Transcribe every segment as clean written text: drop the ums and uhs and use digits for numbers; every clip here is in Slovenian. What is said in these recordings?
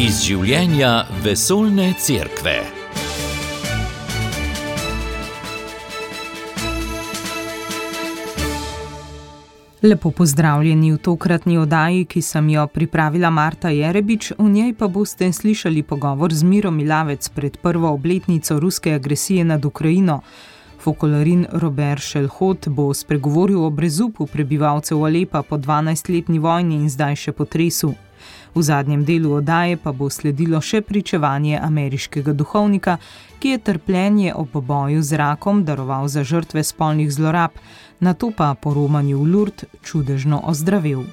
Iz življenja vesoljne cerkve. Lepo pozdravljeni v tokratni oddaji, ki sem jo pripravila Marta Jerebič, v njej pa boste slišali pogovor z Miro Milavec pred prvo obletnico ruske agresije nad Ukrajino. Folklorin Robert Šelhot bo spregovoril o brezupu prebivalcev Alepa po 12-letni vojni in zdaj še potresu. V zadnjem delu oddaje pa bo sledilo še pričevanje ameriškega duhovnika, ki je trpljenje ob boju z rakom daroval za žrtve spolnih zlorab, nato pa po romanju v Lourdes čudežno ozdravel.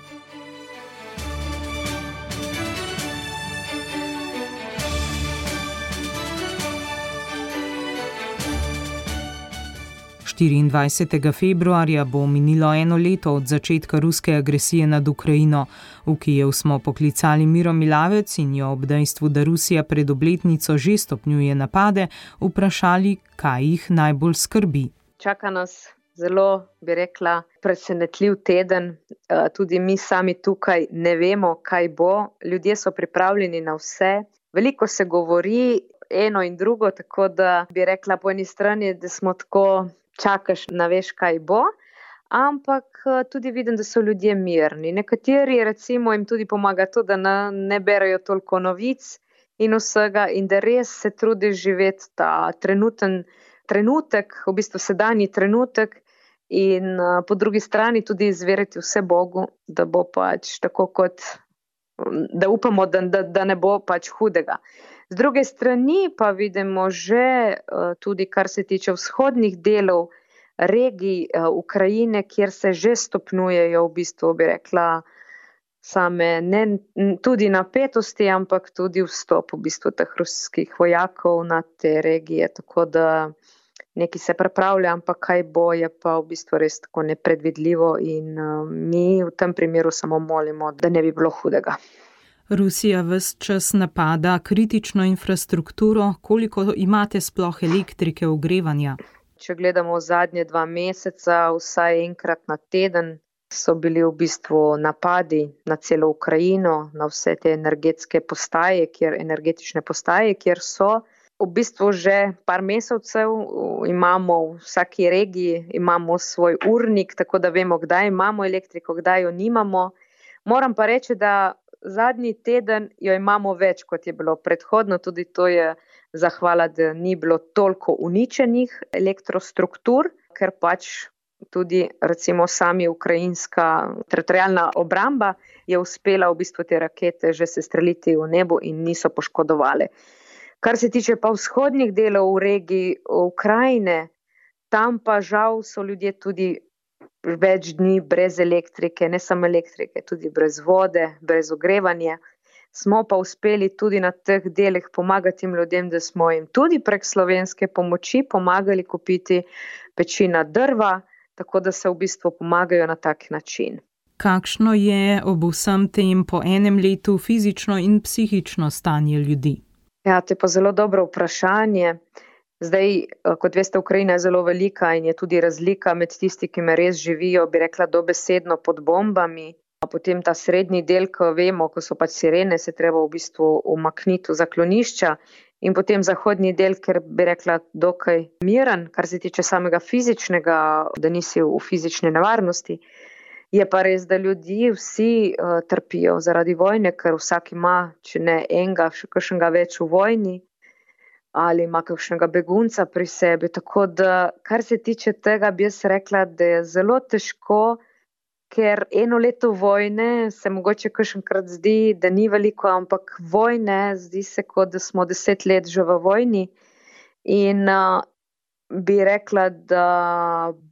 Februarja bo minilo 1 leto od začetka ruske agresije nad Ukrajino. V Kijev smo poklicali Miro Milavec in jo ob dejstvu, da Rusija pred obletnico že stopnjuje napade, vprašali, kaj jih najbolj skrbi. Čaka nas zelo, bi rekla, presenetljiv teden. Tudi mi sami tukaj ne vemo, kaj bo. Ljudje so pripravljeni na vse. Veliko se govori eno in drugo, tako da bi rekla po eni strani, da smo tako čakaš, ne veš, kaj bo, ampak tudi vidim, da so ljudje mirni. Nekateri recimo jim tudi pomaga to, da ne berajo toliko novic in vsega in da res se trudiš živeti ta trenutek, v bistvu sedanji trenutek in po drugi strani tudi izveriti vse Bogu, da bo pač tako kot, da upamo, da ne bo pač hudega. Z druge strani pa vidimo že tudi, kar se tiče vzhodnih delov regij Ukrajine, kjer se že stopnjujejo v bistvu, bi rekla, same ne tudi napetosti, ampak tudi vstop v bistvu teh ruskih vojakov na te regije, tako da nekaj se pripravlja, ampak kaj bo, je pa v bistvu res tako nepredvidljivo in mi v tem primeru samo molimo, da ne bi bilo hudega. Rusija ves čas napada kritično infrastrukturo. Koliko imate sploh elektrike, ogrevanja? Če gledamo zadnje 2 meseca, vsaj enkrat na teden so bili v bistvu napadi na celo Ukrajino, na vse te energetske postaje, energetične postaje, kjer so v bistvu že par mesecev, imamo v vsaki regiji, imamo svoj urnik, tako da vemo, kdaj imamo elektriko, kdaj jo nimamo. Moram pa reči, da zadnji teden jo imamo več, kot je bilo predhodno, tudi to je zahvala, da ni bilo toliko uničenih elektrostruktur, ker pač tudi recimo sami ukrajinska teritorialna obramba je uspela v bistvu te rakete že sestreliti v nebo in niso poškodovale. Kar se tiče pa vzhodnih delov v regiji Ukrajine, tam pa žal so ljudje tudi več dni brez elektrike, ne samo elektrike, tudi brez vode, brez ogrevanja. Smo pa uspeli tudi na teh delih pomagati tem ljudem, da smo jim tudi prek slovenske pomoči pomagali kupiti pečina drva, tako da se v bistvu pomagajo na tak način. Kakšno je ob vsem tem po 1 letu fizično in psihično stanje ljudi? Ja, to je pa zelo dobro vprašanje. Zdaj, kot veste, Ukrajina je zelo velika in je tudi razlika med tisti, ki me res živijo, bi rekla, dobesedno pod bombami. Potem ta srednji del, ko vemo, ko so pač sirene, se treba v bistvu umakniti v zaklonišča. In potem zahodni del, ker bi rekla, dokaj miren, kar se tiče samega fizičnega, da nisi v fizični nevarnosti. Je pa res, da ljudje vsi trpijo zaradi vojne, ker vsak ima, če ne enega, še kakšnega več v vojni, ali ima kakšnega begunca pri sebi. Tako da, kar se tiče tega, bi jaz rekla, da je zelo težko, ker 1 leto vojne se mogoče kakšenkrat zdi, da ni veliko, ampak vojne zdi se, kot da smo 10 let že v vojni. In bi rekla, da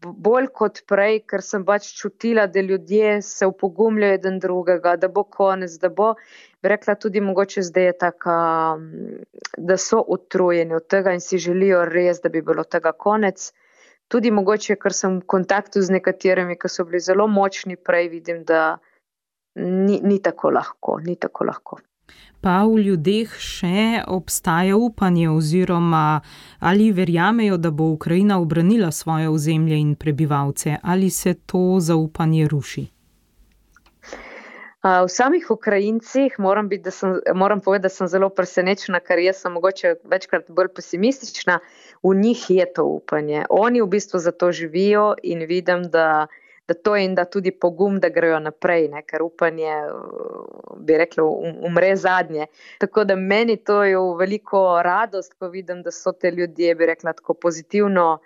bolj kot prej, ker sem pač čutila, da ljudje se upogumljajo eden drugega, da bo konec, da bo, bi rekla tudi mogoče zdaj je taka, da so utrujeni od tega in si želijo res, da bi bilo tega konec. Tudi mogoče, ker sem v kontaktu z nekaterimi, ki so bili zelo močni prej, vidim, da ni tako lahko. Pa v ljudeh še obstaja upanje oziroma ali verjamejo, da bo Ukrajina ubranila svoje ozemlje in prebivalce, ali se to zaupanje ruši? V samih Ukrajincih moram povedati, da sem zelo presenečena, ker jaz sem mogoče večkrat bolj pesimistična. V njih je to upanje. Oni v bistvu za to živijo in vidim, da to je in da tudi pogum, da grejo naprej, ne? Ker upanje, bi rekla, umre zadnje. Tako da meni to je veliko radost, ko vidim, da so te ljudje, bi rekla, tako pozitivno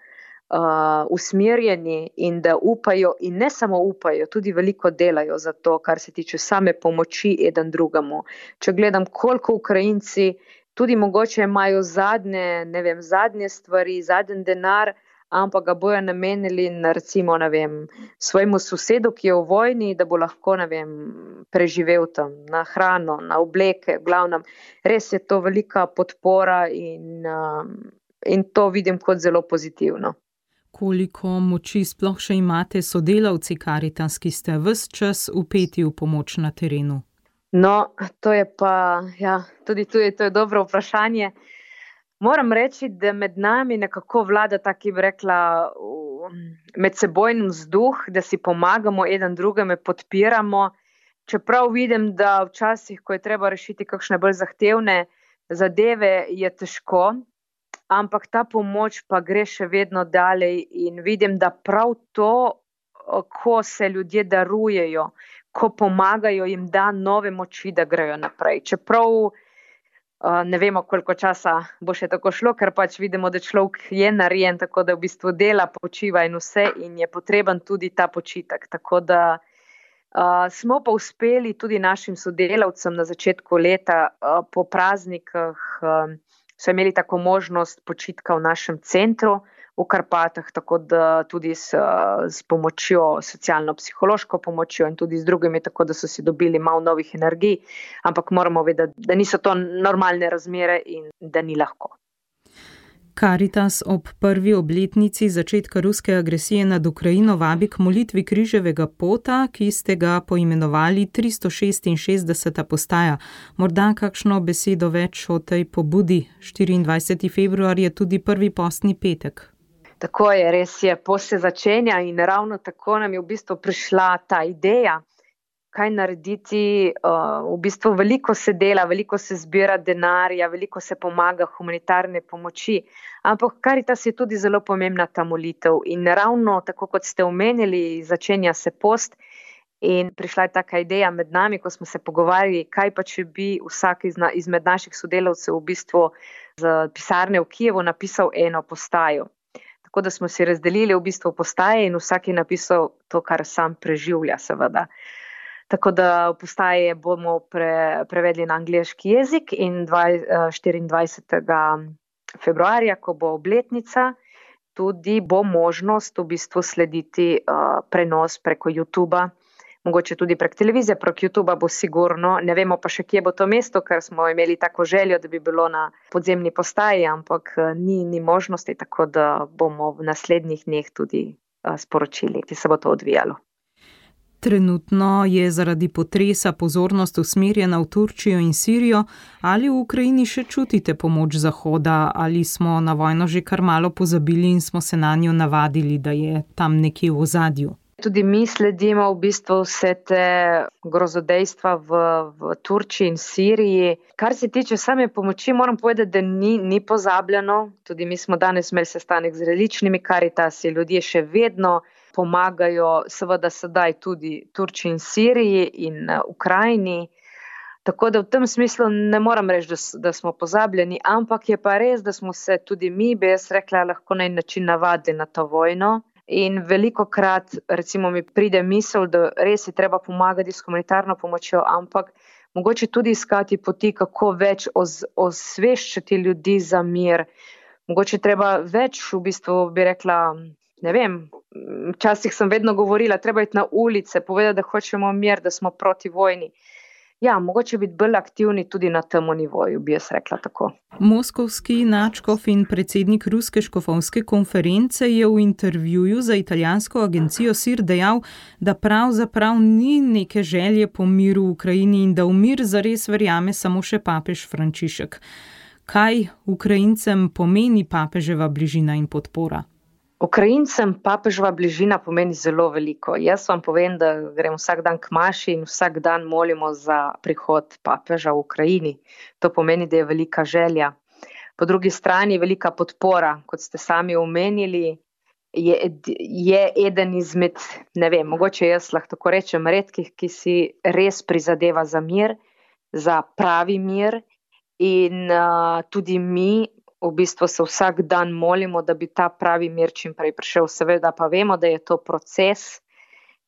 usmerjeni in da upajo in ne samo upajo, tudi veliko delajo za to, kar se tiče same pomoči eden drugemu. Če gledam, koliko Ukrajinci tudi mogoče imajo zadnje stvari, zadnji denar, ampak ga bojo namenili na recimo, svojemu sosedu, ki je v vojni, da bo lahko, preživel tam, na hrano, na obleke, v glavnem. Res je to velika podpora in to vidim kot zelo pozitivno. Koliko moči sploh še imate sodelavci Karitas, ki ste ves čas vpeti v pomoč na terenu? No, to je pa, tudi to je dobro vprašanje. Moram reči, da med nami nekako vlada taki, bi rekla, medsebojni vzduh, da si pomagamo eden drugemu, podpiramo. Čeprav vidim, da včasih, ko je treba rešiti kakšne bolj zahtevne zadeve, je težko. Ampak ta pomoč pa gre še vedno dalje in vidim, da prav to, ko se ljudje darujejo, ko pomagajo, jim da nove moči, da grejo naprej. Čeprav ne vemo, koliko časa bo še tako šlo, ker pač vidimo, da človek je narejen, tako da v bistvu dela, počiva in vse in je potreben tudi ta počitek. Tako da smo pa uspeli tudi našim sodelavcem na začetku leta po praznikih so imeli tako možnost počitka v našem centru v Karpatah, tako da tudi s pomočjo, socialno-psihološko pomočjo in tudi z drugimi, tako da so si dobili malo novih energij, ampak moramo vedeti, da niso to normalne razmere in da ni lahko. Karitas ob prvi obletnici začetka ruske agresije nad Ukrajino vabi k molitvi križevega pota, ki ste ga poimenovali 366. postaja. Morda kakšno besedo več o tej pobudi? 24. februar je tudi prvi postni petek. Tako je, res je, post se začenja in ravno tako nam je v bistvu prišla ta ideja, kaj narediti. V bistvu veliko se dela, veliko se zbira denarja, veliko se pomaga humanitarne pomoči, ampak Karitas je tudi zelo pomembna ta molitev in ravno tako, kot ste omenili, začenja se post in prišla je taka ideja med nami, ko smo se pogovarjali, kaj pa če bi vsak izmed naših sodelavcev v bistvu z pisarne v Kijevu napisal eno postajo. Tako da smo si razdelili v bistvu postaje in vsak je napisal to, kar sam preživlja, seveda. Tako da postaje bomo prevedli na angleški jezik in 24. februarja, ko bo obletnica, tudi bo možnost v bistvu slediti prenos preko YouTubea, mogoče tudi prek televizije, prek YouTubea bo sigurno, ne vemo pa še, kje bo to mesto, ker smo imeli tako željo, da bi bilo na podzemni postaji, ampak ni možnosti, tako da bomo v naslednjih dneh tudi sporočili, ki se bo to odvijalo. Trenutno je zaradi potresa pozornost usmerjena v Turčijo in Sirijo. Ali v Ukrajini še čutite pomoč Zahoda, ali smo na vojno že kar malo pozabili in smo se na njo navadili, da je tam nekje v ozadju? Tudi mi sledimo v bistvu vse te grozodejstva v Turčiji in Siriji. Kar se tiče same pomoči, moram povedati, da ni pozabljeno. Tudi mi smo danes imeli sestanek z različnimi Karitasi, ljudje še vedno pomagajo, seveda sedaj tudi Turčiji in Siriji in Ukrajini. Tako da v tem smislu ne moram reči, da smo pozabljeni, ampak je pa res, da smo se tudi mi, bi jaz rekla, lahko na en način navadili na to vojno. In velikokrat recimo mi pride misel, da res je treba pomagati s humanitarno pomočjo, ampak mogoče tudi iskati poti, kako več osveščati ljudi za mir. Mogoče treba več, v bistvu bi rekla, ne vem, včasih sem vedno govorila, treba iti na ulice, povedati, da hočemo mir, da smo proti vojni. Ja, mogoče biti bolj aktivni tudi na tem nivoju, bi jaz rekla tako. Moskovski nadškof in predsednik Ruske škofovske konference je v intervjuju za italijansko agencijo SIR dejal, da pravzaprav ni neke želje po miru v Ukrajini in da v mir zares verjame samo še papež Frančišek. Kaj Ukrajincem pomeni papeževa bližina in podpora? Ukrajincem papeževa bližina pomeni zelo veliko. Jaz vam povem, da grem vsak dan k maši in vsak dan molimo za prihod papeža v Ukrajini. To pomeni, da je velika želja. Po drugi strani velika podpora, kot ste sami omenili, je eden izmed, ne vem, mogoče jaz lahko tako rečem, redkih, ki si res prizadeva za mir, za pravi mir in tudi mi v bistvu se vsak dan molimo, da bi ta pravi mir čim prej prišel. Seveda pa vemo, da je to proces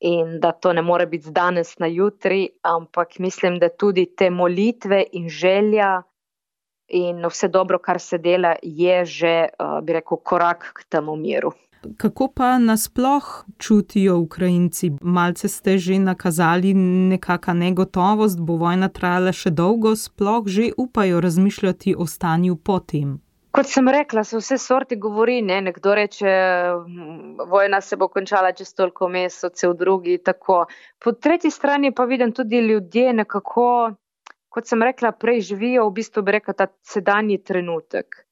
in da to ne more biti z danes na jutri, ampak mislim, da tudi te molitve in želja in vse dobro, kar se dela, je že, bi rekel, korak k temu miru. Kako pa nasploh čutijo Ukrajinci? Malce ste že nakazali nekaka negotovost, bo vojna trajala še dolgo, sploh že upajo razmišljati o stanju potem? Kot sem rekla, se vse sorti govori, ne? Nekdo reče, vojna se bo končala čez toliko mesecev, drugi tako. Po tretji strani pa vidim tudi ljudje nekako, kot sem rekla prej, živijo v bistvu, bi rekla, ta sedanji trenutek.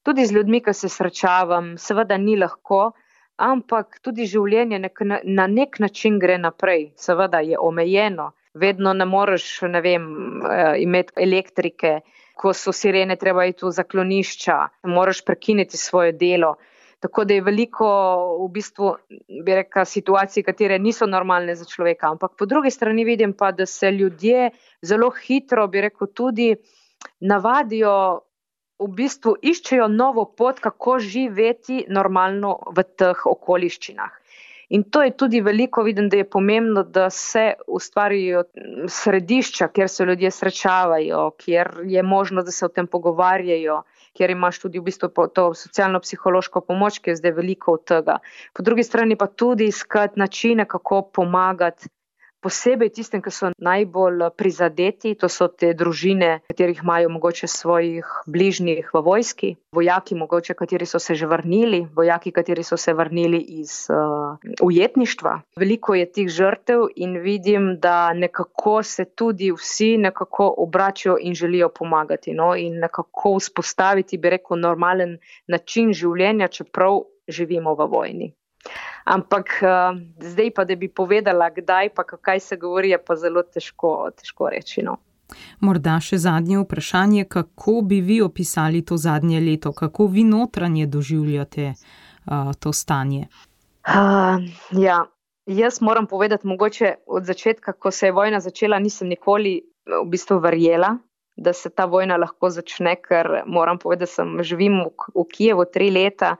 Tudi z ljudmi, ki se srečavam, seveda ni lahko, ampak tudi življenje na nek način gre naprej. Seveda je omejeno, vedno ne moreš, ne vem, imeti elektrike, ko so sirene, treba iti v zaklonišča, moraš prekiniti svoje delo. Tako da je veliko v bistvu, bi rekla, situacij, katere niso normalne za človeka. Ampak po drugi strani vidim pa, da se ljudje zelo hitro, bi rekel, tudi navadijo, v bistvu iščejo novo pot, kako živeti normalno v teh okoliščinah. In to je tudi veliko, vidim, da je pomembno, da se ustvarijo središča, kjer se ljudje srečavajo, kjer je možno, da se o tem pogovarjajo, kjer imaš tudi v bistvu to socialno-psihološko pomoč, ki je zdaj veliko od tega. Po drugi strani pa tudi iskati načine, kako pomagati posebej tistim, ki so najbolj prizadeti, to so te družine, katerih imajo mogoče svojih bližnjih v vojski, vojaki mogoče, kateri so se že vrnili, vojaki, kateri so se vrnili iz ujetništva. Veliko je tih žrtev in vidim, da nekako se tudi vsi nekako obračajo in želijo pomagati, no? In nekako vzpostaviti, bi rekel, normalen način življenja, čeprav živimo v vojni. Ampak zdaj pa, da bi povedala, kdaj pa kaj se govori, je pa zelo težko reči. No. Morda še zadnje vprašanje, kako bi vi opisali to zadnje leto? Kako vi notranje doživljate to stanje? Ja, jaz moram povedati, mogoče od začetka, ko se je vojna začela, nisem nikoli v bistvu verjela, da se ta vojna lahko začne, ker moram povedati, da živim v Kijevu 3 leta,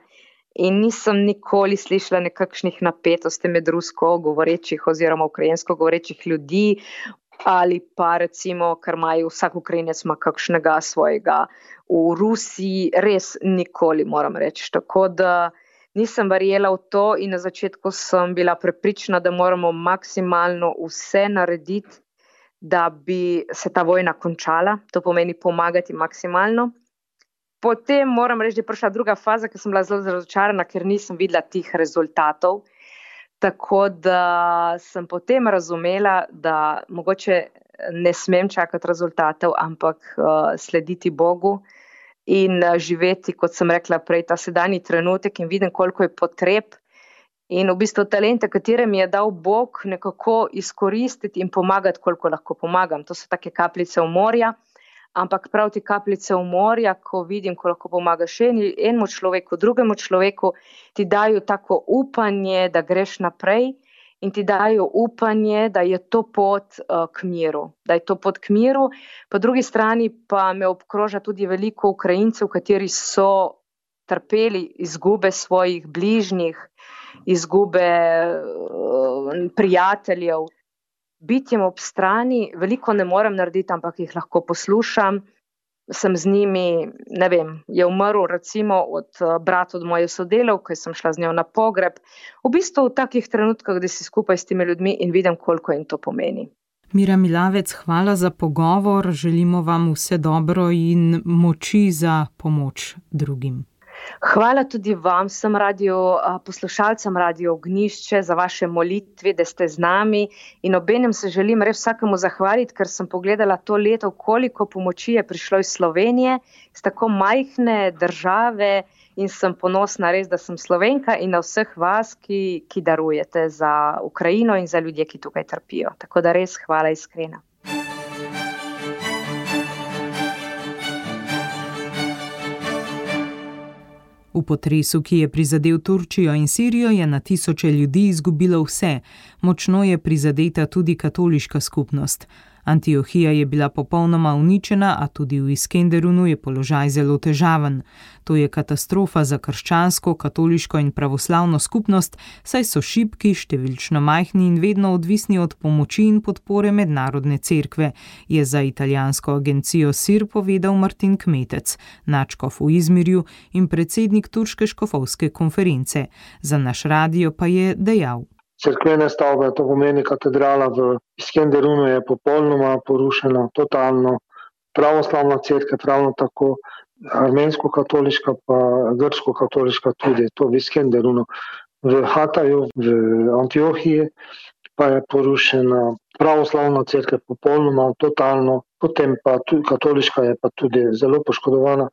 in nisem nikoli slišala nekakšnih napetosti med rusko govorečih oziroma ukrajinsko govorečih ljudi ali pa recimo, ker imajo vsak Ukrajinec ima kakšnega svojega v Rusiji, res nikoli moram reči. Tako da nisem verjela v to in na začetku sem bila prepričana, da moramo maksimalno vse narediti, da bi se ta vojna končala. To pomeni pomagati maksimalno. Potem moram reči, da je prišla druga faza, ker sem bila zelo razočarana, ker nisem videla tih rezultatov. Tako da sem potem razumela, da mogoče ne smem čakati rezultatov, ampak slediti Bogu in živeti, kot sem rekla prej, ta sedanji trenutek in vidim, koliko je potreb in v bistvu talente, katere mi je dal Bog, nekako izkoristiti in pomagati, koliko lahko pomagam. To so take kapljice v morja. Ampak prav ti kapljice v morja, ko vidim, ko lahko pomagaš enemu človeku, drugemu človeku, ti dajo tako upanje, da greš naprej in ti dajo upanje, da je to pot k miru. Da je to pot k miru. Po drugi strani pa me obkroža tudi veliko Ukrajincev, kateri so trpeli izgube svojih bližnjih, izgube prijateljev. Biti jim ob strani, veliko ne morem narediti, ampak jih lahko poslušam, sem z njimi, ne vem, je umrl recimo brat od moje sodelavke, sem šla z njo na pogreb. V bistvu v takih trenutkah, da si skupaj s temi ljudmi in vidim, koliko jim to pomeni. Mira Milavec, hvala za pogovor, želimo vam vse dobro in moči za pomoč drugim. Hvala tudi vam, poslušalcem Radio Ognjišče, za vaše molitve, da ste z nami, in obenem se želim res vsakemu zahvaliti, ker sem pogledala to leto, koliko pomoči je prišlo iz Slovenije, iz tako majhne države, in sem ponosna res, da sem Slovenka, in na vseh vas, ki darujete za Ukrajino in za ljudje, ki tukaj trpijo. Tako da res hvala iskrena. V potresu, ki je prizadel Turčijo in Sirijo, je na tisoče ljudi izgubilo vse. Močno je prizadeta tudi katoliška skupnost. Antiohija je bila popolnoma uničena, a tudi v Iskenderunu je položaj zelo težaven. To je katastrofa za krščansko, katoliško in pravoslavno skupnost, saj so šibki, številčno majhni in vedno odvisni od pomoči in podpore mednarodne cerkve, je za italijansko agencijo SIR povedal Martin Kmetec, nadškof v Izmirju in predsednik turške škofovske konference. Za naš radio pa je dejal: Cerkvene stavbe, to pomeni katedrala v Iskenderunu, je popolnoma porušena, totalno. Pravoslavna cerkev ravno tako, armensko-katoliška pa grško-katoliška tudi, to v Iskenderunu. V Hataju, v Antiohiji pa je porušena pravoslavna cerkev popolnoma, totalno. Potem pa tudi katoliška je pa tudi zelo poškodovana,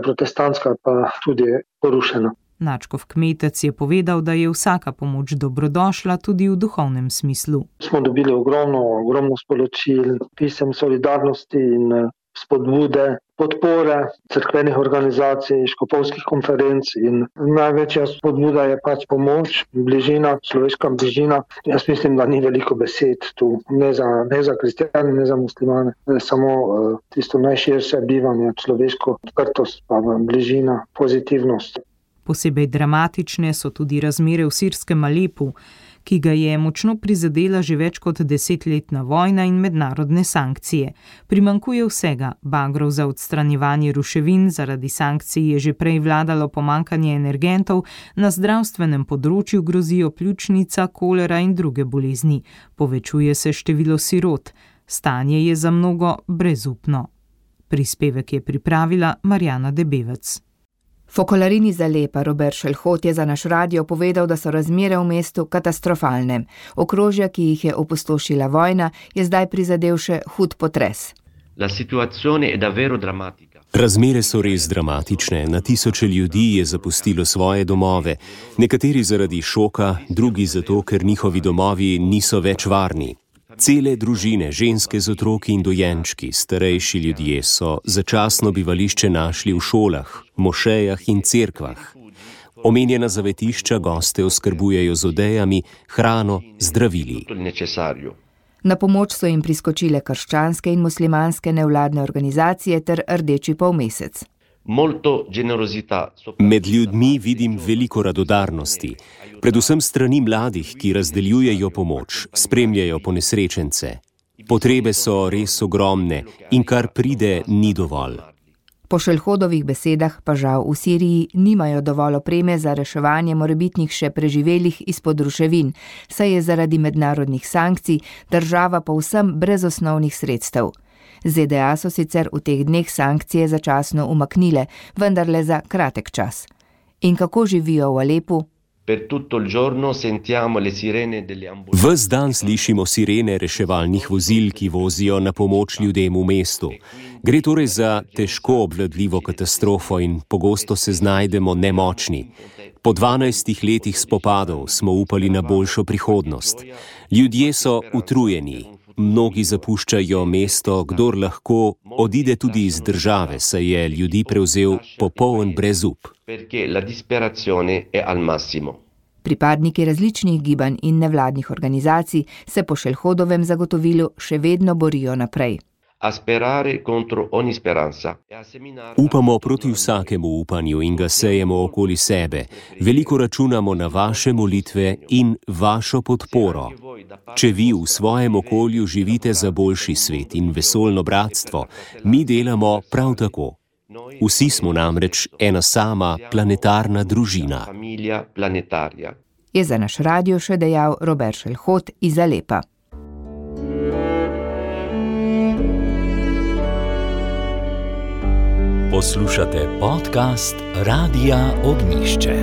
protestantska pa tudi porušena. Nadškof Kmetec je povedal, da je vsaka pomoč dobrodošla tudi v duhovnem smislu. Smo dobili ogromno sporočil, pisem solidarnosti in spodbude, podpore cerkvenih organizacij, škofovskih konferenc, in največja spodbuda je pač pomoč, bližina, človeška bližina. Jaz mislim, da ni veliko besed tu, ne za kristjane, ne za muslimane, samo tisto najširše bivanje, človeško odprtost, pa bližina, pozitivnost. Posebej dramatične so tudi razmere v sirskem Alepu, ki ga je močno prizadela že več kot 10-letna vojna in mednarodne sankcije. Primanjkuje vsega, bagrov za odstranjevanje ruševin, zaradi sankcij je že prej vladalo pomanjkanje energentov, na zdravstvenem področju grozijo pljučnica, kolera in druge bolezni. Povečuje se število sirot. Stanje je za mnogo brezupno. Prispevek je pripravila Marjana Debevec. Fokolarin iz Alepa Robert Šelhot je za naš radio povedal, da so razmere v mestu katastrofalne. Okrožja, ki jih je opustošila vojna, je zdaj prizadel še hud potres. Razmere so res dramatične. Na tisoče ljudi je zapustilo svoje domove. Nekateri zaradi šoka, drugi zato, ker njihovi domovi niso več varni. Cele družine, ženske z otroki in dojenčki, starejši ljudje so začasno bivališče našli v šolah, mošejah in cerkvah. Omenjena zavetišča goste oskrbujejo z odejami, hrano, zdravili. Na pomoč so jim priskočile krščanske in muslimanske nevladne organizacije ter Rdeči polmesec. Med ljudmi vidim veliko radodarnosti, predvsem strani mladih, ki razdeljujejo pomoč, spremljajo ponesrečence. Potrebe so res ogromne in kar pride, ni dovolj. Po Šelhodovih besedah pa žal v Siriji nimajo dovolj opreme za reševanje morebitnih še preživelih izpod ruševin, saj je zaradi mednarodnih sankcij država povsem brez osnovnih sredstev. ZDA so sicer v teh dneh sankcije začasno umaknile, vendar le za kratek čas. In kako živijo v Alepu? Ves dan slišimo sirene reševalnih vozil, ki vozijo na pomoč ljudem v mestu. Gre torej za težko obvladljivo katastrofo in pogosto se znajdemo nemočni. Po 12 letih spopadov smo upali na boljšo prihodnost. Ljudje so utrujeni. Mnogi zapuščajo mesto, kdor lahko odide tudi iz države, saj je ljudi prevzel popoln brezup. Pripadniki različnih gibanj in nevladnih organizacij se po Šelhodovem zagotovilu še vedno borijo naprej. Upamo proti vsakemu upanju in ga sejemo okoli sebe. Veliko računamo na vaše molitve in vašo podporo. Če vi v svojem okolju živite za boljši svet in vesoljno bratstvo, mi delamo prav tako. Vsi smo namreč ena sama planetarna družina. Je za naš radio še dejal Robert Šelhot iz Alepa. Poslušate podcast Radia Ognišče.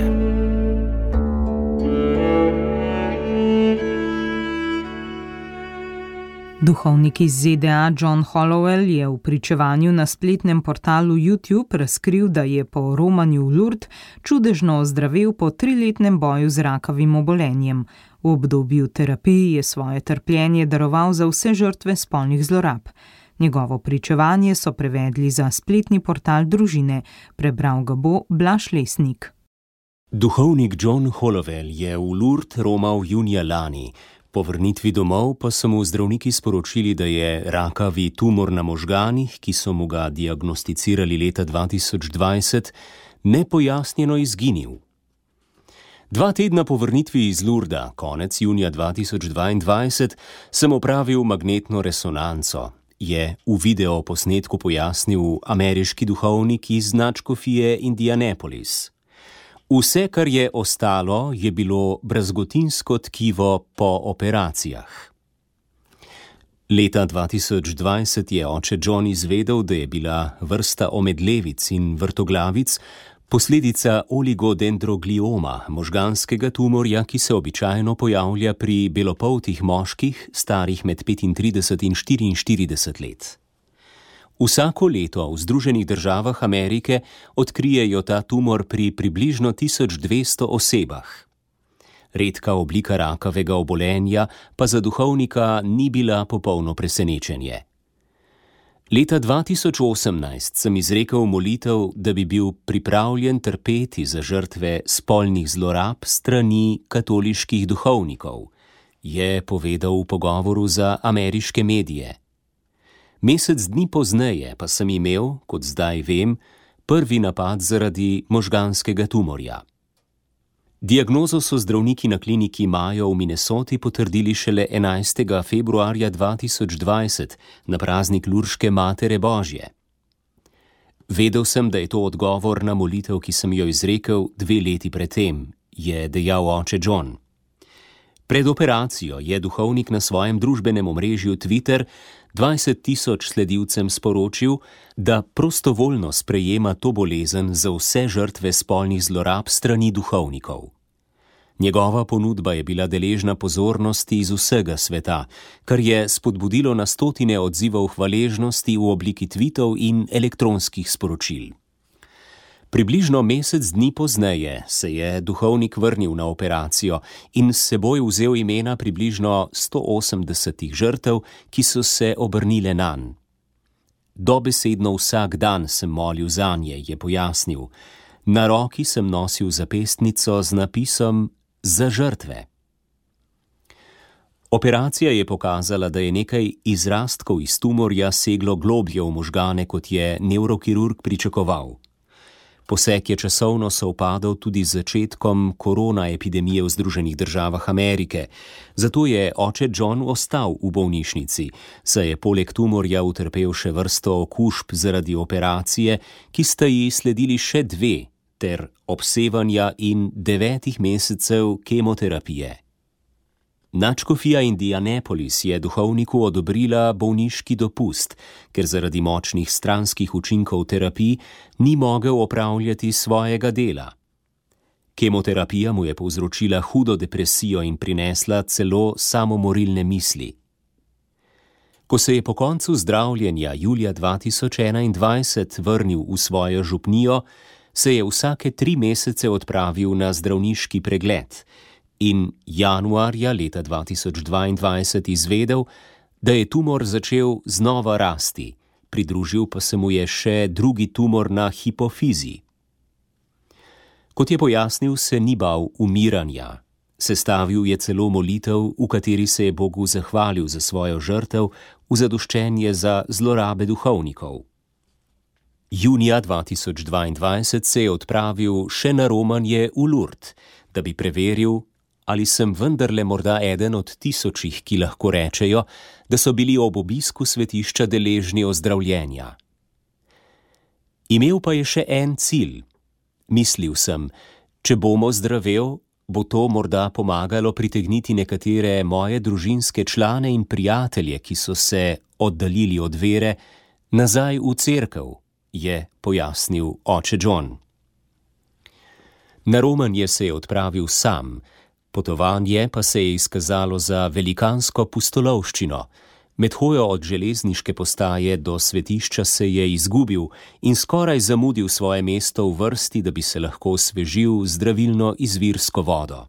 Duhovnik iz ZDA John Hollowell je v pričevanju na spletnem portalu YouTube razkril, da je po romanju v Lourdes čudežno ozdravel po 3-letnem boju z rakavim obolenjem. V obdobju terapije je svoje trpljenje daroval za vse žrtve spolnih zlorab. Njegovo pričevanje so prevedli za spletni portal družine. Prebral ga bo Blaž Lesnik. Duhovnik John Hollowell je v Lourdes romal junija lani. Po vrnitvi domov pa so mu zdravniki sporočili, da je rakavi tumor na možganih, ki so mu ga diagnosticirali leta 2020, nepojasnjeno izginil. 2 tedna po vrnitvi iz Lourdesa, konec junija 2022, sem opravil magnetno resonanco, je v videoposnetku pojasnil ameriški duhovnik iz nadškofije Indianapolis. Vse, kar je ostalo, je bilo brazgotinsko tkivo po operacijah. Leta 2020 je oče John izvedel, da je bila vrsta omedlevic in vrtoglavic posledica oligodendroglioma, možganskega tumorja, ki se običajno pojavlja pri belopoltih moških, starih med 35 in 44 let. Vsako leto v Združenih državah Amerike odkrijejo ta tumor pri približno 1200 osebah. Redka oblika rakavega obolenja pa za duhovnika ni bila popolno presenečenje. Leta 2018 sem izrekel molitev, da bi bil pripravljen trpeti za žrtve spolnih zlorab strani katoliških duhovnikov, je povedal v pogovoru za ameriške medije. Mesec dni pozneje pa sem imel, kot zdaj vem, prvi napad zaradi možganskega tumorja. Diagnozo so zdravniki na kliniki Mayo v Minnesoti potrdili šele 11. februarja 2020 na praznik Lurške Matere Božje. Vedel sem, da je to odgovor na molitev, ki sem jo izrekel 2 leti predtem, je dejal oče John. Pred operacijo je duhovnik na svojem družbenem omrežju Twitter 20.000 sledilcem sporočil, da prostovoljno sprejema to bolezen za vse žrtve spolnih zlorab strani duhovnikov. Njegova ponudba je bila deležna pozornosti iz vsega sveta, kar je spodbudilo na stotine odzivov hvaležnosti v obliki tvitov in elektronskih sporočil. Približno mesec dni pozneje se je duhovnik vrnil na operacijo in s seboj vzel imena približno 180 žrtev, ki so se obrnile nanj. Dobesedno vsak dan sem molil zanje, je pojasnil. Na roki sem nosil zapestnico z napisom Za žrtve. Operacija je pokazala, da je nekaj izrastkov iz tumorja seglo globlje v možgane, kot je nevrokirurg pričakoval. Poseg je časovno sovpadal tudi z začetkom korona epidemije v Združenih državah Amerike, zato je oče John ostal v bolnišnici, saj je poleg tumorja utrpel še vrsto okužb zaradi operacije, ki sta ji sledili še 2, ter obsevanja in 9 mesecev kemoterapije. Nadškofija Indianapolis je duhovniku odobrila bolniški dopust, ker zaradi močnih stranskih učinkov terapij ni mogel opravljati svojega dela. Kemoterapija mu je povzročila hudo depresijo in prinesla celo samomorilne misli. Ko se je po koncu zdravljenja julija 2021 vrnil v svojo župnijo, se je vsake 3 mesece odpravil na zdravniški pregled in januarja leta 2022 izvedel, da je tumor začel znova rasti, pridružil pa se mu je še drugi tumor na hipofizi. Kot je pojasnil, se ni bal umiranja. Sestavil je celo molitev, v kateri se je Bogu zahvalil za svojo žrtev v zadoščenje za zlorabe duhovnikov. Junija 2022 se je odpravil še na romanje v Lourdes, da bi preveril, ali sem vendarle morda eden od tisočih, ki lahko rečejo, da so bili ob obisku svetišča deležni ozdravljenja. Imel pa je še en cilj. Mislil sem, če bom ozdravel, bo to morda pomagalo pritegniti nekatere moje družinske člane in prijatelje, ki so se oddaljili od vere, nazaj v cerkev, je pojasnil oče John. Na romanje se je odpravil sam, potovanje pa se je izkazalo za velikansko pustolovščino. Med hojo od železniške postaje do svetišča se je izgubil in skoraj zamudil svoje mesto v vrsti, da bi se lahko osvežil zdravilno izvirsko vodo.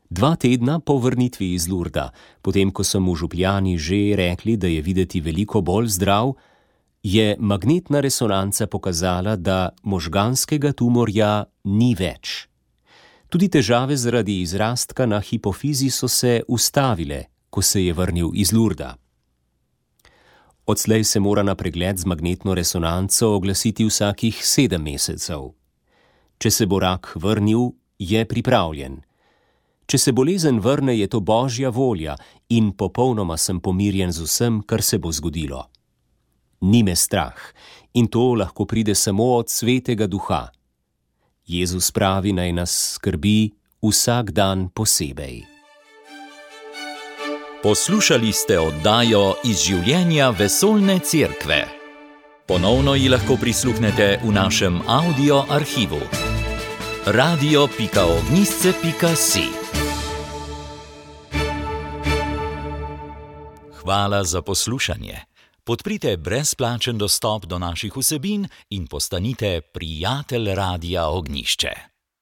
2 tedna po vrnitvi iz Lurda, potem ko so mu župljani že rekli, da je videti veliko bolj zdrav, je magnetna resonanca pokazala, da možganskega tumorja ni več. Tudi težave zaradi izrastka na hipofizi so se ustavile, ko se je vrnil iz Lurda. Odslej se mora na pregled z magnetno resonanco oglasiti vsakih 7 mesecev. Če se bo rak vrnil, je pripravljen. Če se bolezen vrne, je to Božja volja in popolnoma sem pomirjen z vsem, kar se bo zgodilo. Ni me strah in to lahko pride samo od Svetega Duha. Jezus pravi, naj nas skrbi vsak dan posebej. Poslušali ste oddajo Iz življenja vesoljne cerkve. Ponovno ji lahko prisluhnete v našem audio arhivu. radio.ognisce.si. Hvala za poslušanje. Podprite brezplačen dostop do naših vsebin in postanite prijatelj Radia Ognišče.